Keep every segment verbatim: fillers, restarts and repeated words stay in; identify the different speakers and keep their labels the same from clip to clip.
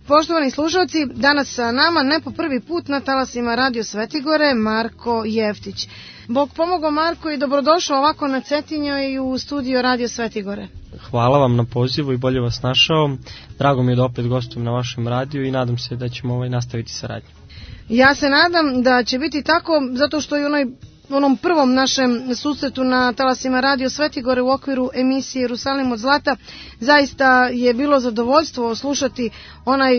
Speaker 1: Poštovani slušalci, danas sa nama ne po prvi put na talasima Radio Svetigore Marko Jeftić. Bog pomogao Marko i dobrodošao ovako na Cetinju i u studio Radio Svetigore.
Speaker 2: Hvala vam na pozivu i bolje vas našao. Drago mi je da opet gostujem na vašem radiju i nadam se da ćemo ovaj nastaviti saradnju.
Speaker 1: Ja se nadam da će biti tako, zato što i onaj u onom prvom našem susretu na talasima Radio Svetigore u okviru emisije Jerusalim od zlata zaista je bilo zadovoljstvo slušati onaj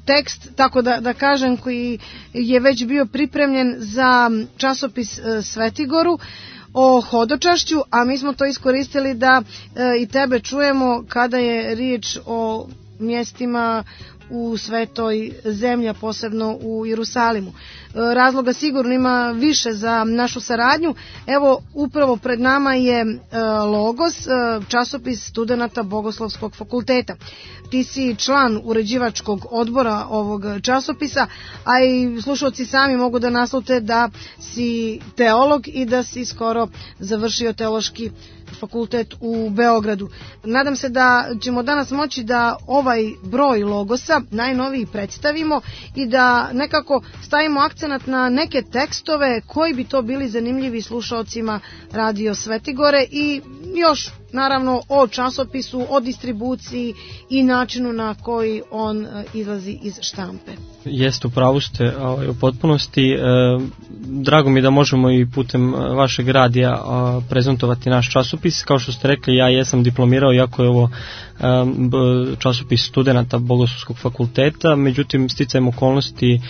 Speaker 1: tekst, tako da, da kažem, koji je već bio pripremljen za časopis Svetigoru o hodočašću, a mi smo to iskoristili da e, i tebe čujemo kada je riječ o mjestima u svetoj zemlji, posebno u Jerusalimu. Razloga sigurno ima više za našu saradnju. Evo, upravo pred nama je Logos, časopis studenata Bogoslovskog fakulteta. Ti si član uređivačkog odbora ovog časopisa, a i slušalci sami mogu da naslute da si teolog i da si skoro završio teološki fakultet u Beogradu. Nadam se da ćemo danas moći da ovaj broj Logosa najnoviji predstavimo i da nekako stavimo akcenat na neke tekstove koji bi to bili zanimljivi slušalcima Radio Svetigore i još naravno o časopisu, o distribuciji i načinu na koji on izlazi iz štampe.
Speaker 2: Jeste, upravo ste ovaj, u potpunosti. E, drago mi je da možemo i putem vašeg radija a, prezentovati naš časopis. Kao što ste rekli, ja jesam diplomirao, iako je ovo a, časopis studenata Bogoslovskog fakulteta, međutim sticajem okolnosti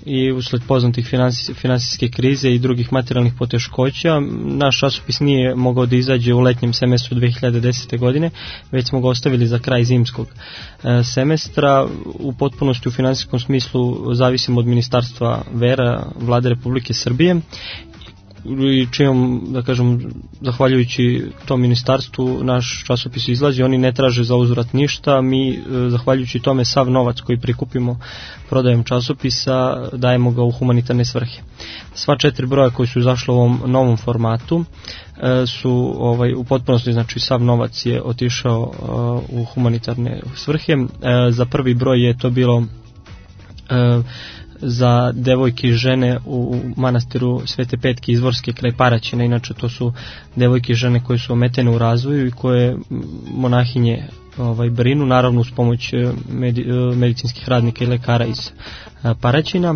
Speaker 2: i usled poznatih finansijske, finansijske krize i drugih materijalnih poteškoća, naš časopis nije mogao da izađe u letnjem semestru dve hiljade desete. godine, već smo ga ostavili za kraj zimskog e, semestra. U potpunosti u finansijskom smislu zavisimo od Ministarstva vera Vlade Republike Srbije i čijom, da kažem, zahvaljujući tom ministarstvu naš časopis izlazi, oni ne traže za uzvrat ništa, mi zahvaljujući tome sav novac koji prikupimo prodajem časopisa dajemo ga u humanitarne svrhe. Sva četiri broja koji su izašli u ovom novom formatu su ovaj, u potpunosti, znači sav novac je otišao uh, u humanitarne svrhe. Uh, za prvi broj je to bilo uh, za devojke i žene u manastiru Svete Petke Izvorske kraj Paraćina. Inače to su devojke i žene koje su ometene u razvoju i koje monahinje ovaj, brinu, naravno uz pomoć medi, medicinskih radnika i lekara iz Paraćina.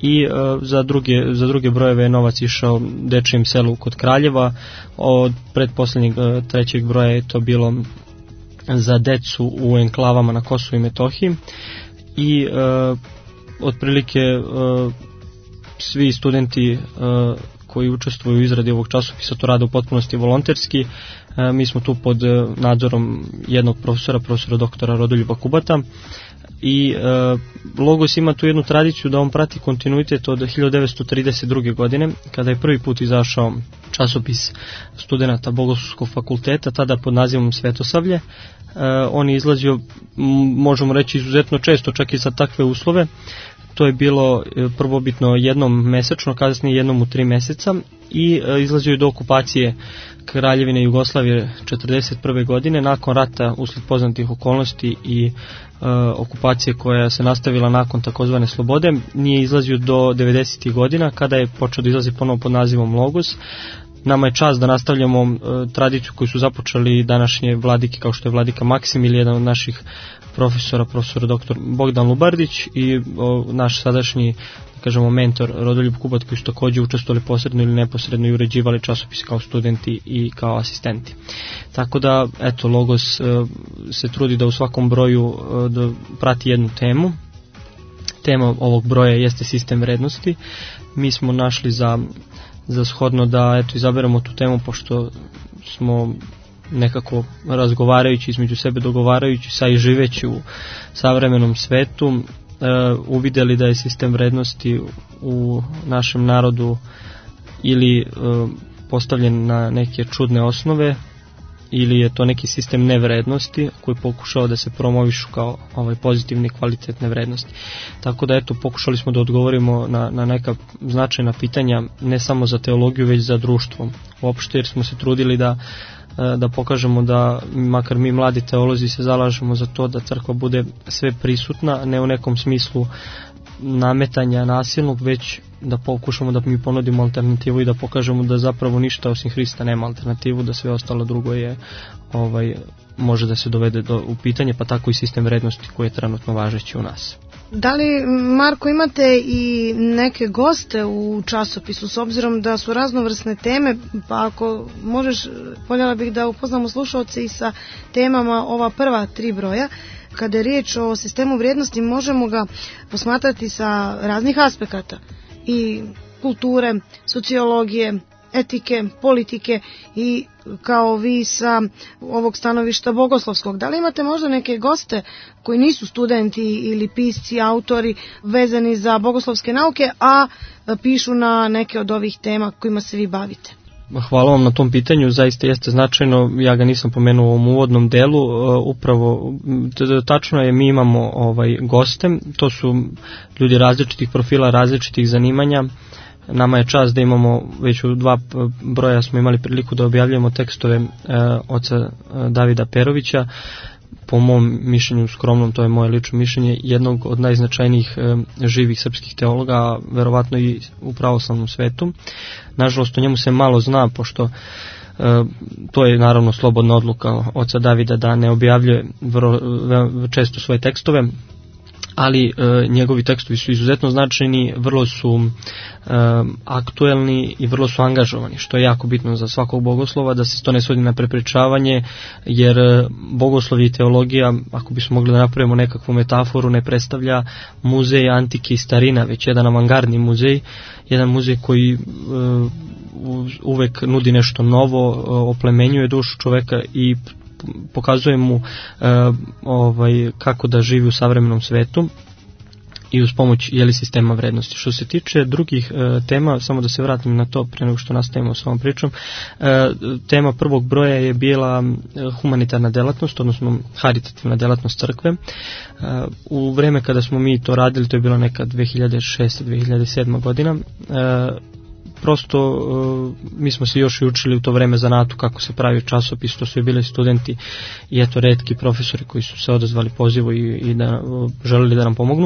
Speaker 2: I uh, za, druge, za druge brojeve je novac išao Dečijem selu kod Kraljeva. Od predposlednjeg uh, trećeg broja je to bilo za decu u enklavama na Kosovu i Metohiji. I uh, otprilike uh, svi studenti uh, koji učestvuju u izradi ovog časopisa to rade u potpunosti volonterski. Uh, mi smo tu pod uh, nadzorom jednog profesora, profesora doktora Rodoljuba Kubata. I uh, Logos ima tu jednu tradiciju da on prati kontinuitet od hiljadu devetsto trideset druge. godine, kada je prvi put izašao časopis studenata Bogoslovskog fakulteta, tada pod nazivom Svetosavlje. Uh, on je izlazio, možemo reći, izuzetno često, čak i za takve uslove. To je bilo prvobitno jednom mesečno, kasnije jednom u tri meseca i uh, izlazio je do okupacije Kraljevine Jugoslavije četrdeset prve. godine, nakon rata usled poznatih okolnosti i uh, okupacije koja se nastavila nakon takozvane slobode. Nije izlazio do devedesetih. godina, kada je počeo da izlazi ponovo pod nazivom Logos. Nama je čast da nastavljamo uh, tradiciju koju su započeli današnje vladike, kao što je vladika Maksim ili jedan od naših profesora, profesor doktor Bogdan Lubardić i o, naš sadašnji, da kažemo, mentor Rodoljub Kubat, koji su također učestvovali posredno ili neposredno i uređivali časopis kao studenti i kao asistenti. Tako da, eto, Logos e, se trudi da u svakom broju e, da prati jednu temu. Tema ovog broja jeste sistem vrednosti. Mi smo našli za, za shodno da, eto, izaberemo tu temu, pošto smo nekako razgovarajući između sebe, dogovarajući sa i živeći u savremenom svetu, e, uvidjeli da je sistem vrednosti u našem narodu ili e, postavljen na neke čudne osnove, ili je to neki sistem nevrednosti koji pokušao da se promovišu kao ovaj pozitivne kvalitetne vrednosti. Tako da eto, pokušali smo da odgovorimo na, na neka značajna pitanja, ne samo za teologiju, već za društvo uopšte, jer smo se trudili da da pokažemo da, makar mi mladi teolozi se zalažemo za to da crkva bude sve prisutna, ne u nekom smislu nametanja nasilnog, već da pokušamo da mi ponudimo alternativu i da pokažemo da zapravo ništa osim Hrista nema alternativu, da sve ostalo drugo je ovaj, može da se dovede do, u pitanje, pa tako i sistem vrednosti koji je trenutno važeći u nas.
Speaker 1: Da li, Marko, imate i neke goste u časopisu, s obzirom da su raznovrsne teme, pa ako možeš, voljela bih da upoznamo slušalce i sa temama ova prva tri broja. Kada je riječ o sistemu vrijednosti, možemo ga posmatrati sa raznih aspekata, i kulture, sociologije, etike, politike i kao vi sa ovog stanovišta bogoslovskog. Da li imate možda neke goste koji nisu studenti ili pisci, autori vezani za bogoslovske nauke, a pišu na neke od ovih tema kojima se vi bavite?
Speaker 2: Hvala vam na tom pitanju, zaista jeste značajno, ja ga nisam pomenuo u ovom uvodnom delu, upravo tačno je, mi imamo ovaj goste, to su ljudi različitih profila, različitih zanimanja. Nama je čast da imamo, već u dva broja smo imali priliku da objavljujemo tekstove e, oca Davida Perovića, po mom mišljenju skromnom, to je moje lično mišljenje, jednog od najznačajnijih e, živih srpskih teologa, verovatno i u pravoslavnom svetu. Nažalost, o njemu se malo zna, pošto e, to je naravno slobodna odluka oca Davida da ne objavljuje vrlo, često svoje tekstove, ali e, njegovi tekstovi su izuzetno značajni, vrlo su e, aktuelni i vrlo su angažovani, što je jako bitno za svakog bogoslova, da se to ne svodi na prepričavanje, jer bogoslov i teologija, ako bismo mogli da napravimo nekakvu metaforu, ne predstavlja muzej antike i starina, već jedan avangardni muzej, jedan muzej koji e, uvek nudi nešto novo, oplemenjuje dušu čoveka i pokazuje mu e, ovaj, kako da živi u savremenom svetu i uz pomoć jeli sistema vrednosti. Što se tiče drugih e, tema, samo da se vratim na to pre nego što nastavimo s ovom pričom, e, tema prvog broja je bila humanitarna delatnost, odnosno haritativna delatnost crkve. E, u vreme kada smo mi to radili, to je bilo neka dve hiljade šeste dve hiljade sedma godina, e, prosto uh, mi smo se još i učili u to vreme zanatu kako se pravi časopis, to su i bili studenti i eto retki profesori koji su se odazvali pozivu i, i da uh, želeli da nam pomognu.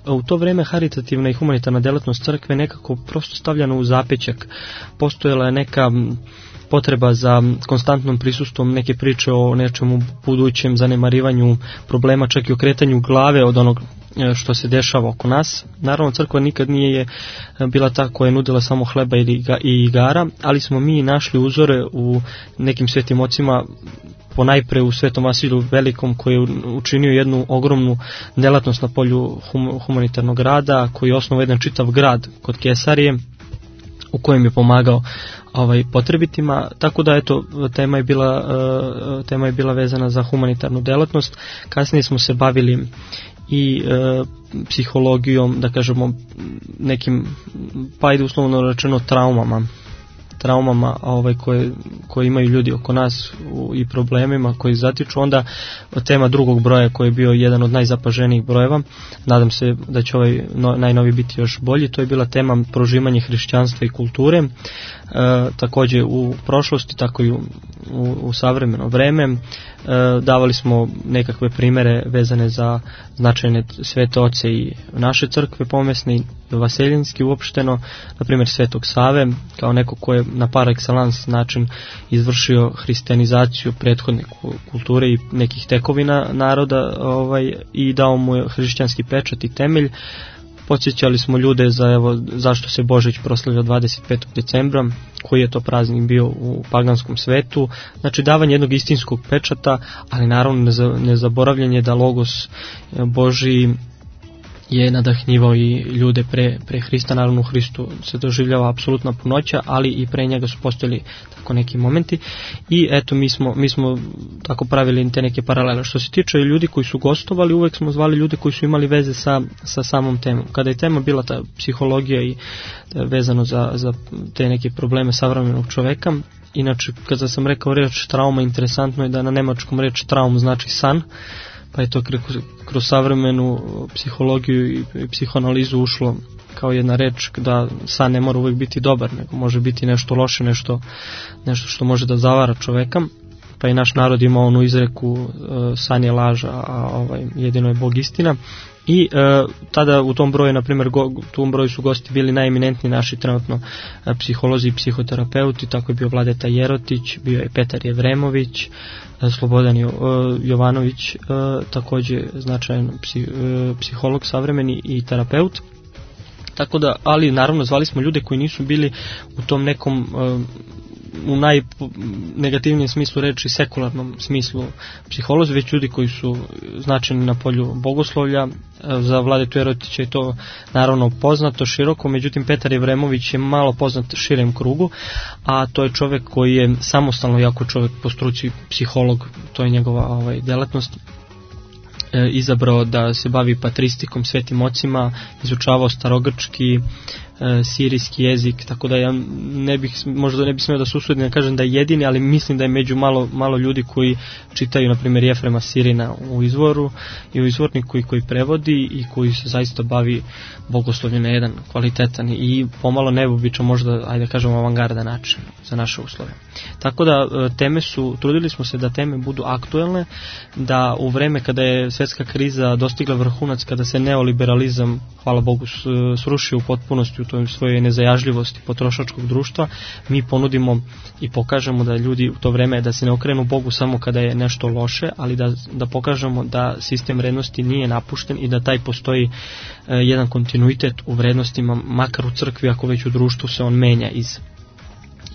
Speaker 2: Uh, u to vreme haritativna i humanitarna delatnost crkve nekako prosto stavljana u zapećak. Postojala je neka potreba za konstantnom prisustvom, neke priče o nečemu budućem, zanemarivanju problema, čak i okretanju glave od onog što se dešava oko nas. Naravno, crkva nikad nije bila ta koja je nudila samo hleba i igara, ali smo mi našli uzore u nekim svetim ocima, ponajpre u Svetom Vasiliju Velikom, koji je učinio jednu ogromnu delatnost na polju humanitarnog rada, koji je osnovao jedan čitav grad kod Kesarije, u kojem je pomagao ovaj potrebitima, tako da eto tema je bila uh, tema je bila vezana za humanitarnu delatnost. Kasnije smo se bavili i e, psihologijom, da kažemo nekim, pa ajde uslovno rečeno traumama, traumama ovaj, koje, koje imaju ljudi oko nas u, i problemima koji zatiču. Onda tema drugog broja koji je bio jedan od najzapaženijih brojeva, nadam se da će ovaj no, najnoviji biti još bolji, to je bila tema prožimanje hrišćanstva i kulture, e, također u prošlosti, tako i u, u, u savremeno vreme. E, davali smo nekakve primere vezane za značajne svete oce i naše crkve pomesne i vaseljenski uopšteno, na primjer Svetog Save, kao neko ko je na par excellence način izvršio hrišćanizaciju prethodne kulture i nekih tekovina naroda, ovaj, i dao mu hrišćanski pečat i temelj. Podsjećali smo ljude za evo zašto se Božić proslavlja dvadeset petog decembra, koji je to praznik bio u paganskom svetu, znači davanje jednog istinskog pečata, ali naravno nezaboravljanje da Logos Božji je nadahnjivao i ljude pre, pre Hrista. Naravno u Hristu se doživljava apsolutna punoća, ali i pre njega su postojali tako neki momenti i eto mi smo, mi smo tako pravili te neke paralele. Što se tiče ljudi koji su gostovali, uvek smo zvali ljude koji su imali veze sa, sa samom temom. Kada je tema bila ta psihologija i vezano za, za te neke probleme savremenog čoveka, inače kada sam rekao reč trauma, interesantno je da na nemačkom reč traum znači san, pa je to kroz, kroz savremenu psihologiju i psihoanalizu ušlo kao jedna reč da san ne mora uvijek biti dobar, nego može biti nešto loše, nešto, nešto što može da zavara čoveka, pa i naš narod ima onu izreku uh, san je laž, a ovaj, jedino je Bog istina. I e, tada u tom broju, na primjer, go, u tom broju su gosti bili najeminentni naši trenutno e, psiholozi i psihoterapeuti, tako je bio Vladeta Jerotić, bio je Petar Jevremović, e, Slobodan jo, e, Jovanović, e, također značajan psi, e, psiholog savremeni i terapeut. Tako da, ali naravno zvali smo ljude koji nisu bili u tom nekom e, u najnegativnijem smislu reči sekularnom smislu psiholozi, već ljudi koji su značajni na polju bogoslovlja. Za Vladetu Jerotića je to naravno poznato široko, međutim Petar Jevremović je malo poznat širem krugu, a to je čovjek koji je samostalno jako čovjek po struci psiholog, to je njegova ovaj, delatnost. E, izabrao da se bavi patristikom, svetim ocima, izučavao starogrčki, e, sirijski jezik, tako da ja ne bih, možda ne bih smio da se usudim da kažem da je jedini, ali mislim da je među malo, malo ljudi koji čitaju, na primjer, Jefrema Sirina u izvoru i u izvorniku i koji prevodi i koji se zaista bavi bogoslovljem na jedan kvalitetan i pomalo neobičan, možda, ajde da kažemo, avangarda način za naše uslove. Tako da teme su, trudili smo se da teme budu aktuelne, da u vreme kada je svjetska kriza dostigla vrhunac, kada se neoliberalizam, hvala Bogu, srušio u potpunosti u toj svojoj nezajažljivosti potrošačkog društva, mi ponudimo i pokažemo da ljudi u to vreme da se ne okrenu Bogu samo kada je nešto loše, ali da, da pokažemo da sistem vrednosti nije napušten i da taj postoji e, jedan kontinuitet u vrednostima, makar u crkvi, ako već u društvu se on menja iz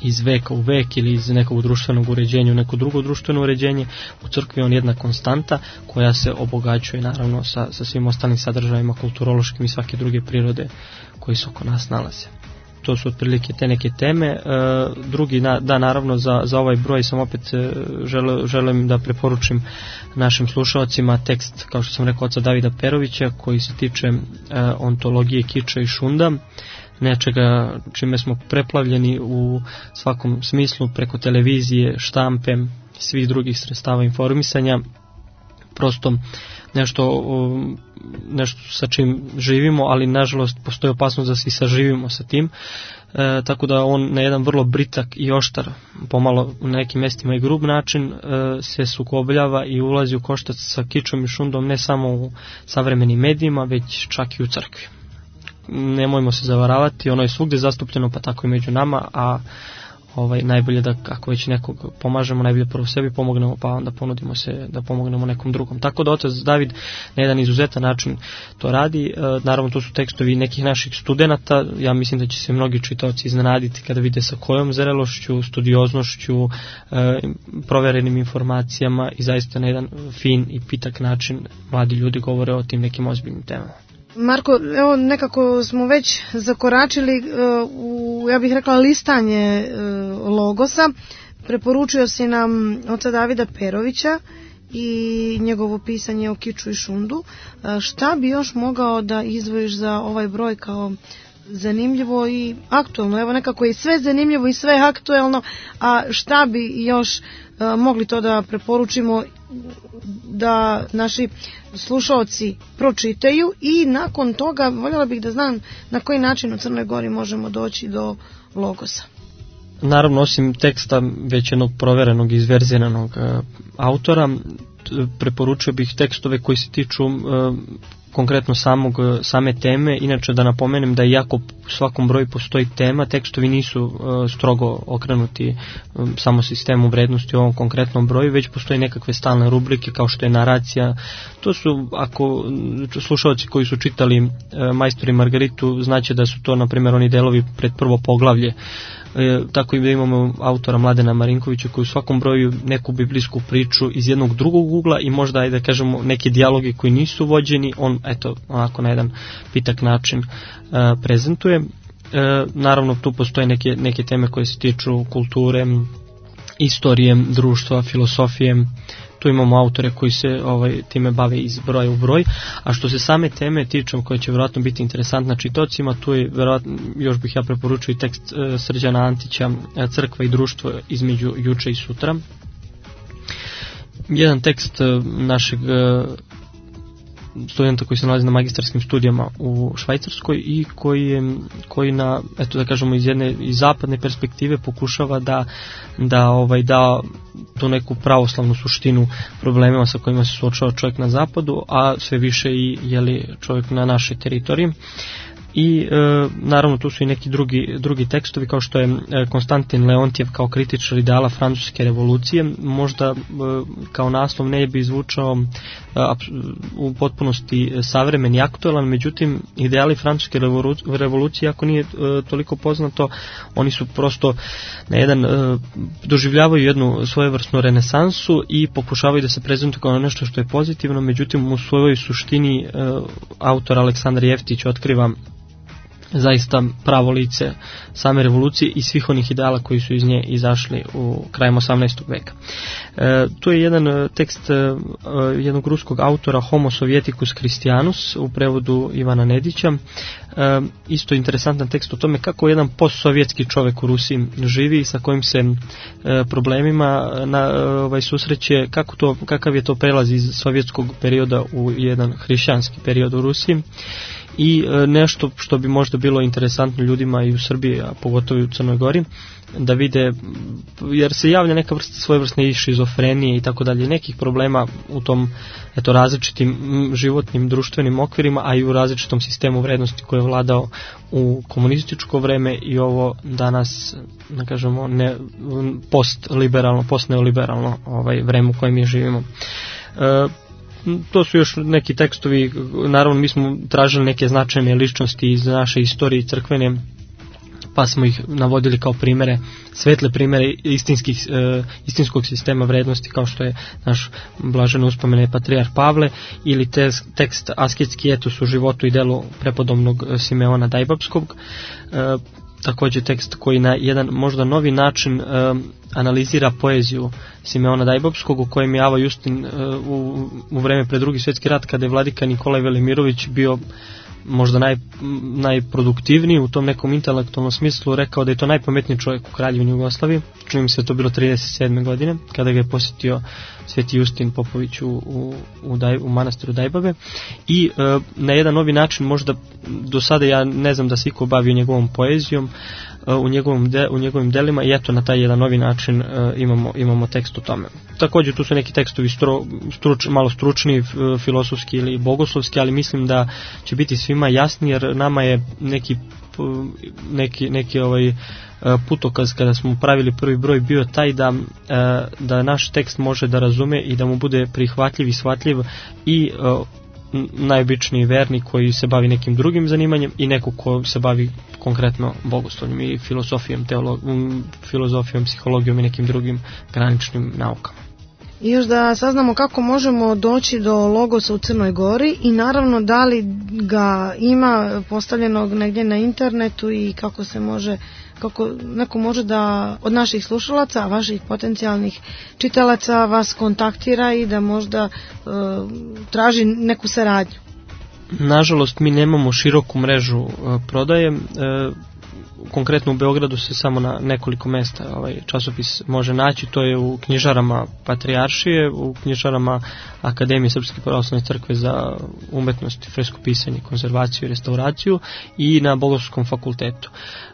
Speaker 2: iz veka u vek ili iz nekog društvenog uređenja u neko drugo društveno uređenje, u crkvi on jedna konstanta koja se obogaćuje naravno sa, sa svim ostalim sadržajima kulturološkim i svake druge prirode koji se oko nas nalaze. To su otprilike te neke teme. E, drugi na, da naravno za, za ovaj broj sam opet e, žele, želim da preporučim našim slušalcima tekst, kao što sam rekao, oca Davida Perovića koji se tiče e, ontologije kiča i šunda, nečega čime smo preplavljeni u svakom smislu preko televizije, štampe, svih drugih sredstava informisanja, prosto nešto, nešto sa čim živimo, ali nažalost postoji opasnost da se i saživimo sa tim, e, tako da on na jedan vrlo britak i oštar, pomalo u nekim mjestima i grub način, e, se sukobljava i ulazi u koštac sa kičom i šundom ne samo u savremenim medijima, već čak i u crkvi. Nemojmo se zavaravati, ono je svugdje zastupljeno, pa tako i među nama, a ovaj, najbolje da ako već nekog pomažemo, najbolje prvo sebi pomognemo, pa onda ponudimo se da pomognemo nekom drugom. Tako da otac David na jedan izuzetan način to radi. E, naravno to su tekstovi nekih naših studenata, ja mislim da će se mnogi čitaoci iznenaditi kada vide sa kojom zrelošću, studioznošću, e, proverenim informacijama i zaista na jedan fin i pitak način mladi ljudi govore o tim nekim ozbiljnim temama.
Speaker 1: Marko, evo nekako smo već zakoračili uh, u, ja bih rekla, listanje uh, logosa. Preporučio si nam oca Davida Perovića i njegovo pisanje o kiču i šundu. Uh, šta bi još mogao da izdvojiš za ovaj broj kao zanimljivo i aktuelno? Evo nekako je sve zanimljivo i sve aktuelno, a šta bi još uh, mogli to da preporučimo da naši slušaoci pročitaju i nakon toga voljela bih da znam na koji način u Crnoj Gori možemo doći do logosa.
Speaker 2: Naravno, osim teksta već jednog proverenog i izverziranog e, autora, preporučio bih tekstove koji se tiču e, konkretno samog, same teme. Inače da napomenem da iako u svakom broju postoji tema, tekstovi nisu uh, strogo okrenuti um, samo sistemu vrednosti u ovom konkretnom broju, već postoji nekakve stalne rubrike kao što je naracija. To su, ako slušalci koji su čitali uh, Majstor i Margaritu, znaće da su to na primjer oni delovi pred prvo poglavlje. E, tako i da imamo autora Mladena Marinkovića koji u svakom broju neku biblijsku priču iz jednog drugog ugla i možda, da kažemo, neke dijaloge koji nisu vođeni, on, eto, onako na jedan pitak način uh, prezentuje. Uh, naravno, tu postoje neke, neke teme koje se tiču kulture, istorije, društva, filosofije. Tu imamo autore koji se ovaj, time bave iz broja u broj, a što se same teme tiču, koja će vjerojatno biti interesantna čitocima, tu je vjerojatno, još bih ja preporučio i tekst uh, Srđana Antića, Crkva i društvo između juče i sutra. Jedan tekst uh, našeg uh, studenta koji se nalazi na magistarskim studijama u Švajcarskoj i koji je, koji na, eto da kažemo, iz jedne iz zapadne perspektive pokušava da da ovaj da tu neku pravoslavnu suštinu problemima sa kojima se suočava čovjek na zapadu, a sve više i jeli čovjek na našoj teritoriji. I e, naravno tu su i neki drugi, drugi tekstovi, kao što je e, Konstantin Leontjev kao kritičar ideala francuske revolucije. Možda e, kao naslov ne bi zvučao e, u potpunosti savremen i aktualan, međutim ideali francuske revolucije, ako nije e, toliko poznato, oni su prosto na jedan e, doživljavaju jednu svojevrsnu renesansu i pokušavaju da se prezentuju kao nešto što je pozitivno, međutim u svojoj suštini e, autor Aleksandar Jeftić otkriva zaista pravo lice same revolucije i svih onih ideala koji su iz nje izašli u krajem osamnaestog veka. E, tu je jedan tekst e, jednog ruskog autora Homo Sovieticus Christianus u prevodu Ivana Nedića. E, isto interesantan tekst o tome kako jedan postsovjetski čovjek u Rusiji živi, sa kojim se e, problemima na, ovaj, susreće, kako to, kakav je to prelaz iz sovjetskog perioda u jedan hrišćanski period u Rusiji. I nešto što bi možda bilo interesantno ljudima i u Srbiji, a pogotovo i u Crnoj Gori, da vide, jer se javlja neka vrsta svojevrsne i šizofrenije i tako dalje, nekih problema u tom, eto, različitim životnim, društvenim okvirima, a i u različitom sistemu vrednosti koji je vladao u komunističko vreme i ovo danas, da kažemo, ne, post-liberalno, post-neoliberalno ovaj, vreme u kojem mi živimo. E, To su još neki tekstovi, naravno mi smo tražili neke značajne ličnosti iz naše istorije crkvene, pa smo ih navodili kao primere, svetle primere istinskih, e, istinskog sistema vrednosti, kao što je naš blaženo uspomene patrijarh Pavle, ili te, tekst Asketski etos u životu i delu prepodobnog Simeona Dajbapskog, e, također tekst koji na jedan možda novi način e, analizira poeziju Simeona Dajbapskog, u kojem je Ava Justin e, u, u vreme pred drugi svjetski rat, kada je vladika Nikolaj Velimirović bio možda naj, najproduktivniji u tom nekom intelektualnom smislu, rekao da je to najpametniji čovjek u Kraljevini Jugoslaviji. Čini mi se da to bilo trideset sedme godine, kada ga je posjetio Sveti Justin Popović u, u, u, Daj, u manastiru Dajbave. I e, na jedan novi način, možda do sada ja ne znam da se iko bavio njegovom poezijom, e, u, njegovom de, u njegovim delima, i eto na taj jedan novi način e, imamo, imamo tekst o tome. Također tu su neki tekstovi stro, struč, malo stručni, filosofski ili bogoslovski, ali mislim da će biti svima jasni, jer nama je neki neki, neki ovaj putokaz kada smo pravili prvi broj bio taj da, da naš tekst može da razume i da mu bude prihvatljiv i shvatljiv i najobičniji vernik koji se bavi nekim drugim zanimanjem i neko ko se bavi konkretno bogoslovljem i filozofijom, teologijom, filozofijom, psihologijom i nekim drugim graničnim naukama.
Speaker 1: I još da saznamo kako možemo doći do Logosa u Crnoj Gori i naravno da li ga ima postavljenog negdje na internetu i kako se može, kako neko može da od naših slušalaca, vaših potencijalnih čitalaca vas kontaktira i da možda e, traži neku saradnju.
Speaker 2: Nažalost, mi nemamo široku mrežu e, prodaje. E, konkretno u Beogradu se samo na nekoliko mesta ovaj časopis može naći, to je u knjižarama Patrijaršije, u knjižarama Akademije Srpske pravoslavne crkve za umetnost, freskopisanje, konzervaciju i restauraciju i na Bogoslovskom fakultetu.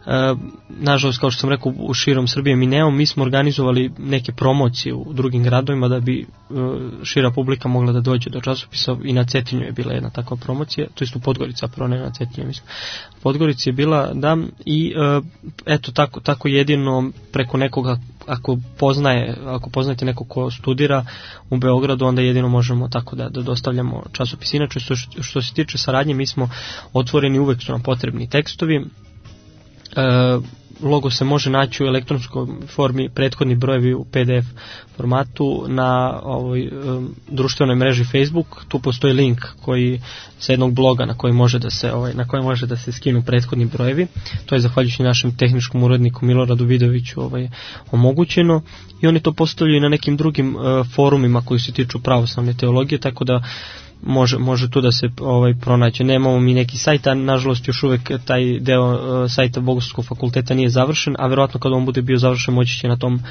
Speaker 2: E, nažalost, kao što sam rekao, u širom Srbije mi nemamo, mi smo organizovali neke promocije u drugim gradovima da bi e, šira publika mogla da dođe do časopisa, i na Cetinju je bila jedna takva promocija, to jest u Podgorica, prvo ne na Cetinju, mislim. Podgorici je bila, da, i e, eto tako, tako jedino preko nekoga, ako poznaje, ako poznajete nekog ko studira u Beogradu, onda jedino možemo tako da, da dostavljamo časopis. Inače, što, što se tiče saradnje, mi smo otvoreni, uvek su nam potrebni tekstovi. logo se može naći u elektronskoj formi, prethodni brojevi u P D F formatu na ovoj um, društvenoj mreži Facebook. Tu postoji link koji sa jednog bloga na koji može da se ovaj na koji može da se skinu prethodni brojevi. To je zahvaljujući našem tehničkom uredniku Miloradu Vidoviću ovaj omogućeno, i oni to postavljaju na nekim drugim uh, forumima koji se tiču pravoslavne teologije, tako da Može, može tu da se ovaj pronaći. Nemamo mi neki sajt, a nažalost još uvek taj deo uh, sajta Bogoslovskog fakulteta nije završen, a verovatno kad on bude bio završen moći će na tom uh,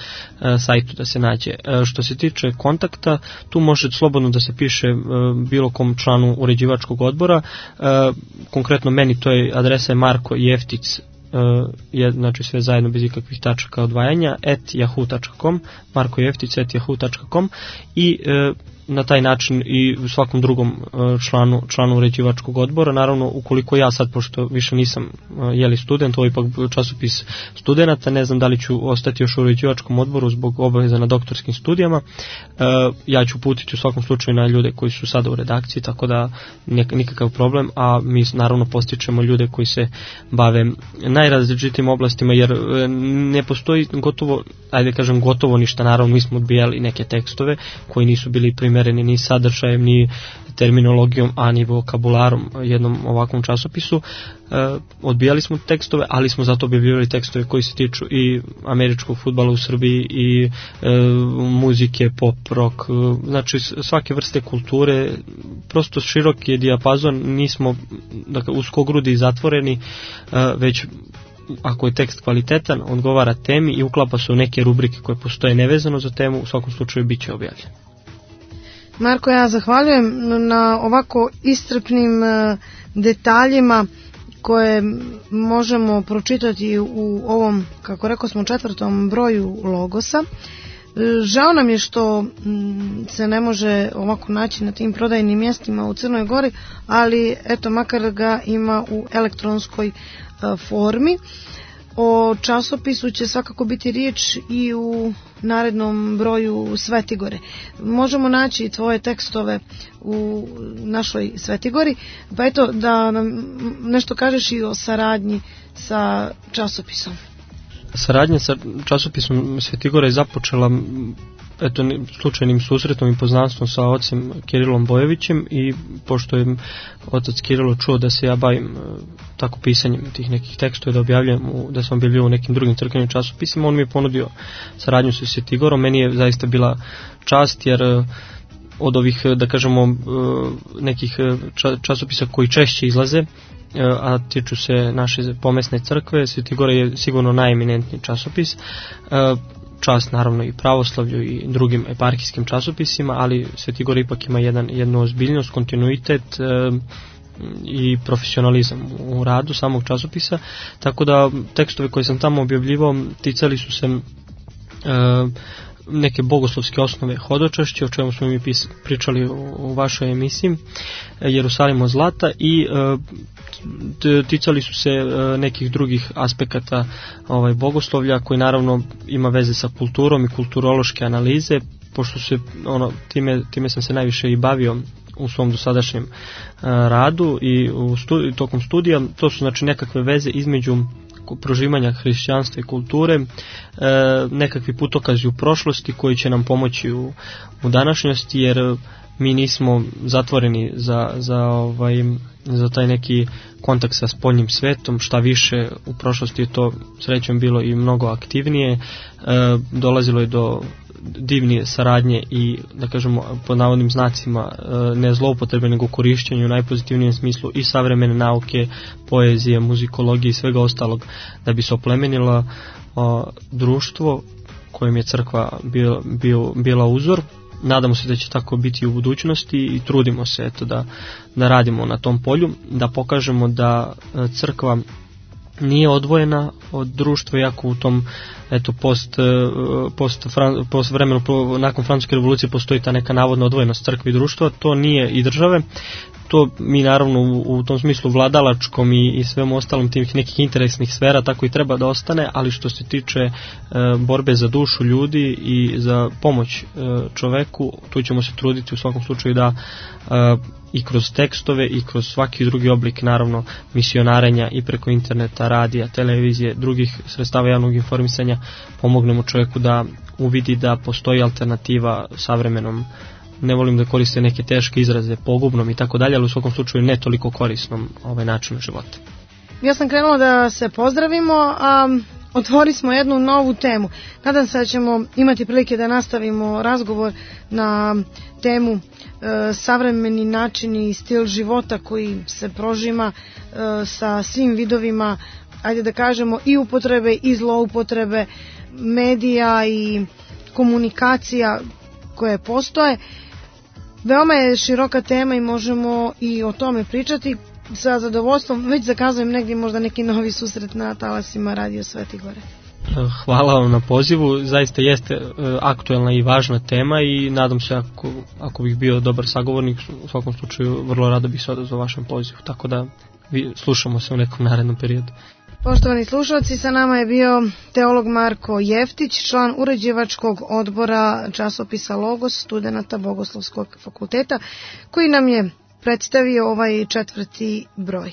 Speaker 2: sajtu da se nađe. Uh, što se tiče kontakta, tu može slobodno da se piše uh, bilo kom članu uređivačkog odbora. Uh, konkretno meni to je adresa je Marko Jeftic, Uh, je, znači sve zajedno bez ikakvih tačaka odvajanja, at yahoo dot com, Marko Jeftic at yahoo dot com, i uh, na taj način i u svakom drugom uh, članu, članu uređivačkog odbora. Naravno, ukoliko ja sad, pošto više nisam uh, jeli student, ovo je ipak časopis studenata, ne znam da li ću ostati još u uređivačkom odboru zbog obaveza na doktorskim studijama, uh, ja ću putiti u svakom slučaju na ljude koji su sada u redakciji, tako da nek, nikakav problem, a mi naravno postičemo ljude koji se bave najrazličitim oblastima, jer ne postoji gotovo, ajde kažem gotovo ništa. Naravno mi smo odbijali neke tekstove koji nisu bili primereni ni sadržajem, ni terminologijom, a ni vokabularom jednom ovakvom časopisu. E, odbijali smo tekstove, ali smo zato objavljivali tekstove koji se tiču i američkog fudbala u Srbiji, i e, muzike, pop, rock, znači svake vrste kulture, prosto širok je dijapazon, nismo dakle, uskogrudi i zatvoreni, e, već ako je tekst kvalitetan, odgovara temi i uklapa se u neke rubrike koje postoje nevezano za temu, u svakom slučaju bit će objavljen.
Speaker 1: Marko, ja zahvaljujem na ovako iscrpnim detaljima koje možemo pročitati u ovom, kako rekao smo, četvrtom broju Logosa. Žao nam je što se ne može ovako naći na tim prodajnim mjestima u Crnoj Gori, ali eto, makar ga ima u elektronskoj formi. O časopisu će svakako biti riječ i u narednom broju Svetigore. Možemo naći tvoje tekstove u našoj Svetigori, pa eto da nam nešto kažeš i o saradnji sa časopisom.
Speaker 2: Saradnja sa časopisom Svetigora je započela eto slučajnim susretom i poznanstvom sa ocem Kirilom Bojevićem, i pošto je otac Kirilo čuo da se ja bavim tako pisanjem tih nekih tekstova, da objavljujem, da sam objavljivao u nekim drugim crkvenim časopisima, on mi je ponudio saradnju sa Svetigorom. Meni je zaista bila čast, jer od ovih, da kažemo, nekih časopisa koji češće izlaze, a tiču se naše pomesne crkve, Svetigora je sigurno najeminentniji časopis. Čast naravno i pravoslavlju i drugim eparhijskim časopisima, ali Svetigor ipak ima jedan, jednu ozbiljnost, kontinuitet e, i profesionalizam u radu samog časopisa, tako da tekstove koje sam tamo objavljivao ticali su se e, neke bogoslovske osnove hodočašća, o čemu smo mi pis, pričali u, u vašoj emisiji, Jerusalim od zlata, i e, ticali su se e, nekih drugih aspekata ovaj, bogoslovlja, koji naravno ima veze sa kulturom i kulturološke analize, pošto se, ono, time, time sam se najviše i bavio u svom dosadašnjem e, radu i u studi, tokom studija. To su znači nekakve veze između proživanja hrišćanstva i kulture, e, nekakvi putokazi u prošlosti koji će nam pomoći u, u današnjosti, jer mi nismo zatvoreni za, za, ovaj, za taj neki kontakt sa spoljnim svetom, šta više u prošlosti je to srećom bilo i mnogo aktivnije, e, dolazilo je do divnije saradnje i, da kažemo, pod navodnim znacima, ne zloupotrebe nego korišćenju u najpozitivnijem smislu i savremene nauke, poezije, muzikologije i svega ostalog, da bi se oplemenilo o, društvo kojem je crkva bio, bio, bila uzor. Nadamo se da će tako biti u budućnosti i trudimo se eto, da, da radimo na tom polju, da pokažemo da crkva nije odvojena od društva, iako u tom eto post, post, post vremenu nakon Francuske revolucije postoji ta neka navodna odvojenost crkve i društva, to nije, i države, to mi naravno u, u tom smislu vladalačkom i, i svemu ostalom tih nekih interesnih sfera tako i treba da ostane, ali što se tiče e, borbe za dušu ljudi i za pomoć e, čoveku, tu ćemo se truditi u svakom slučaju da e, i kroz tekstove i kroz svaki drugi oblik naravno misionarenja i preko interneta, radija, televizije, drugih sredstava javnog informisanja pomognemo čovjeku da uvidi da postoji alternativa savremenom, ne volim da koriste neke teške izraze, pogubnom i tako dalje, ali u svakom slučaju ne toliko korisnom ovaj načinu života.
Speaker 1: Ja sam krenula da se pozdravimo, a otvorili smo jednu novu temu. Nadam se da ćemo imati prilike da nastavimo razgovor na temu e, savremeni načini i stil života koji se prožima e, sa svim vidovima, ajde da kažemo, i upotrebe i zloupotrebe medija i komunikacija koje postoje. Veoma je široka tema i možemo i o tome pričati. Sa zadovoljstvom već zakazujem negdje možda neki novi susret na talasima Radio Sveti Gore.
Speaker 2: Hvala vam na pozivu, zaista jeste aktuelna i važna tema i nadam se ako, ako bih bio dobar sagovornik, u svakom slučaju vrlo rado bih se odazvao vašem pozivu, tako da vi slušamo se u nekom narednom periodu.
Speaker 1: Poštovani slušalci, sa nama je bio teolog Marko Jeftić, član uređivačkog odbora časopisa Logos studenata Bogoslovskog fakulteta, koji nam je predstavio ovaj četvrti broj.